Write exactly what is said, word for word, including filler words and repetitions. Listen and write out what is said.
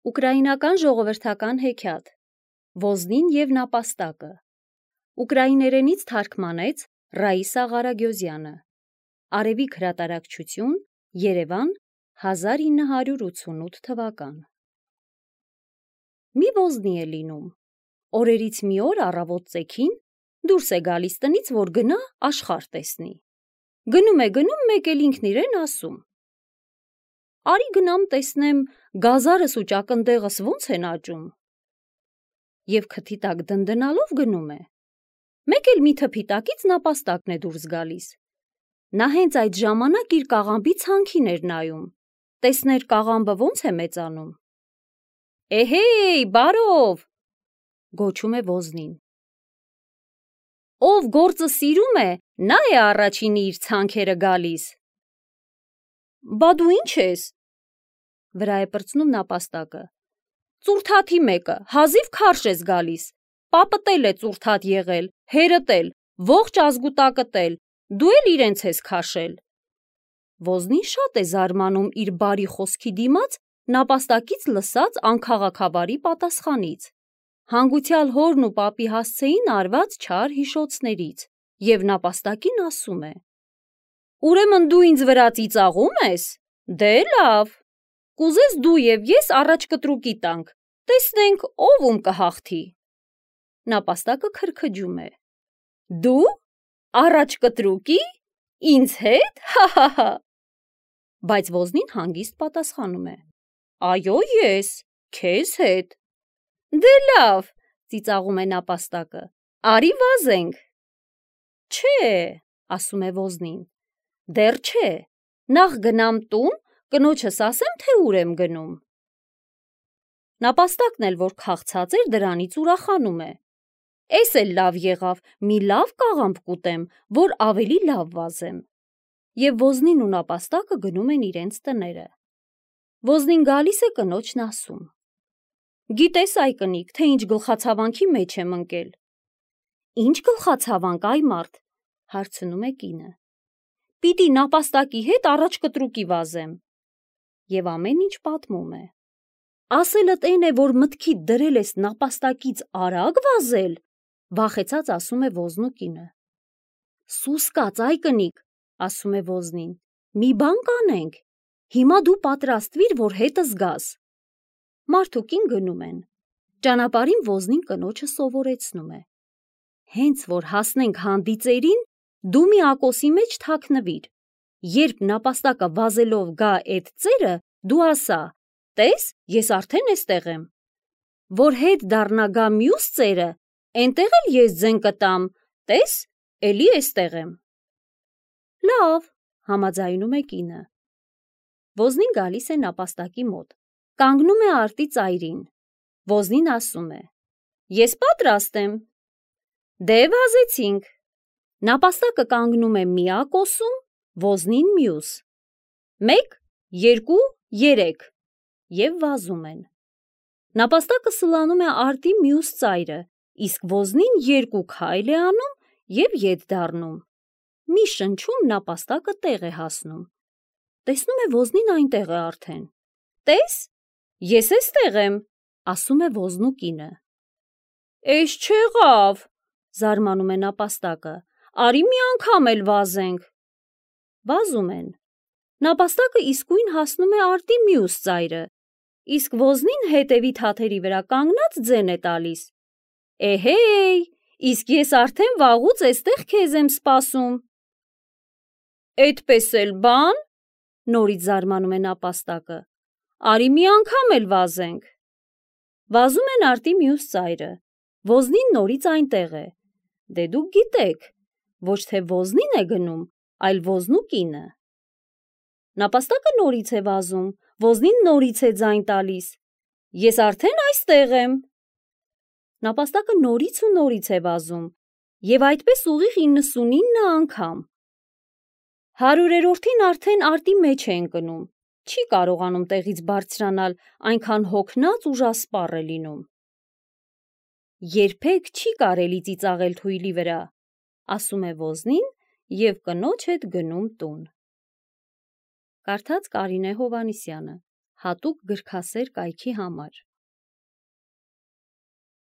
Ուկրաինական ժողովրդական հեքիաթ Ոզնին և նապաստակը Ուկրաիներենից թարգմանեց Ռաիսա Ղարագյոզյանը Արևիկ հրատարակչություն Երևան հազար ինը հարյուր ութսունութ թվական Մի ոզնի է լինում Օրերից մի օր առավոտ ծեքին դուրս է գալիս տնից, որ գնա աշխարհ տեսնի Գնում է գնում մեկ էլ ինքն իրեն ասում Արի գնամ տեսնեմ գազարս ու ճակնդեղս ոնց են աճում Եվ քթի տակ դնդնալով գնում է Մեկ էլ մի թփի տակից նապաստակն է դուրս գալիս Նա հենց այդ ժամանակ իր կաղամբի ցանքին էր նայում Տեսներ կաղամբը ոնց է մեծանում Էհեյ, բարով գոչում է ոզնին Ով գործը սիրում է, նա է առաջինը իր ցանքերը գալիս Բա դու ինչ ես Վրա է պրծնում նապաստակը Ծուրթաթի մեկը, հազիվ քարշ ես գալիս Պապդ էլ է ծուրթաթ եղել, հերդ էլ, ողջ ազգուտակդ էլ, դու էլ իրենց ես քաշել Ոզնին շատ է զարմանում իր բարի խոսքի դիմաց նապաստակից լսած անքաղաքավարի պատասխանից Հանգուցյալ հորն ու պապի հասցեին արված չար հիշոցներից և նապաստակին ասում է Ուրեմն դու ինձ վրա ծիծաղում ես, դե լավ, կուզես դու և ես առաջ կտրուկի տանք, տեսնենք ով ում կհաղթի Նապաստակը քրքջում է Դու, առաջ կտրուկի, ինձ հետ, հահահա Բայց ոզնին հանգիստ պատասխանում է Այո ես, քեզ հետ Դե լավ, ծիծաղում է նապաստակը, արի վազենք Չէ, ասում է ոզնին, դեռ չէ, նախ գնամ տուն, կնոջս ասեմ, թե ուր եմ գնում Նապաստակն էլ որ քաղցած էր դրանից ուրախանում է Էս էլ լավ եղավ, մի լավ կաղամբ կուտեմ, որ ավելի լավ վազեմ Եվ ոզնին ու նապաստակը գնում են իրենց տները Ոզնին գալիս է կնոջն ասում Գիտես այ կնիկ, թե ինչ գլխացավանքի մեջ եմ ընկել Ինչ գլխացավանք այ մարդ, հարցնում է կինը Պիտի նապաստակի հետ առաջ կտրուկի վազեմ Եվ ամեն ինչ պատմում է Ասելդ էն է, որ մտքիդ դրել ես նապաստակից արագ վազել, վախեցած ասում է ոզնու կինը Սուս կաց այ կնիկ, ասում է ոզնին, մի բան կանենք, հիմա դու պատրաստվիր, որ հետս գաս Մարդուկին գնում են, ճանապարհին ոզնին կնոջը սովորեցնում է Հենց որ հասնենք հանդիծերին, դու մի ակոսի մեջ թաքնվիր, երբ նապաստակը վազելով գա էդ ծերը, դու ասա, տես, ես արդեն էստեղ եմ, որ հետ դառնա գա մյուս ծերը, էնտեղ էլ ես ձեն կտամ, տես, էլի էստեղ եմ Լավ, համաձայնում է կինը Ոզնին գալիս է նապաստակի մոտ, կանգնում է արտի ծայրին, ոզնին ասում է Ես պատրաստ եմ Դե վազեցինք Նապաստակը կանգնում է մի ակոսում, ոզնին մյուս Մեկ, երկու, երեք Եվ վազում են Նապաստակը սլանում է արտի մյուս ծայրը, իսկ ոզնին երկու քայլ է անում և ետ դառնում Մի շնչում նապաստակը տեղ է հասնում Տեսնում է ոզնին այնտեղ է արդեն Տես, ես էստեղ եմ, ասում է ոզնու կինը Էս չեղավ, զարմանում է նապաստակը, արի մի անգամ էլ վազենք Վազում են Նապաստակը իսկույն հասնում է արտի մյուս ծայրը, իսկ ոզնին հետևի թաթերի վրա կանգնած ձեն է տալիս Էհեյ, իսկ ես արդեն վաղուց էստեղ քեզ եմ սպասում Էդպես էլ բան, նորից զարմանում է նապաստակը, արի մի անգամ էլ վազենք Վազում են արտի մյուս ծայրը, ոզնին նորից այնտեղ է, դե դուք գիտեք, ոչ թե ոզնին է գնում, այլ ոզնու կինը Նապաստակը նորից է վազում, ոզնին նորից է ձայն տալիս Ես արդեն այստեղ եմ Նապաստակը նորից ու նորից է վազում և այդպես ուղիղ իննսունինը անգամ Հարյուրերորդին արդեն արտի մեջ է ընկնում, չի կարողանում տեղից բարձրանալ, այնքան հոգնած ուժասպառ է լինում Երբեք չի կարելի ծիծաղել թույլի վրա, ասում է ոզնին և կնոջ հետ գնում տուն Կարդաց Կարինե Հովհաննիսյանը, հատուկ գրքասեր կայքի համար։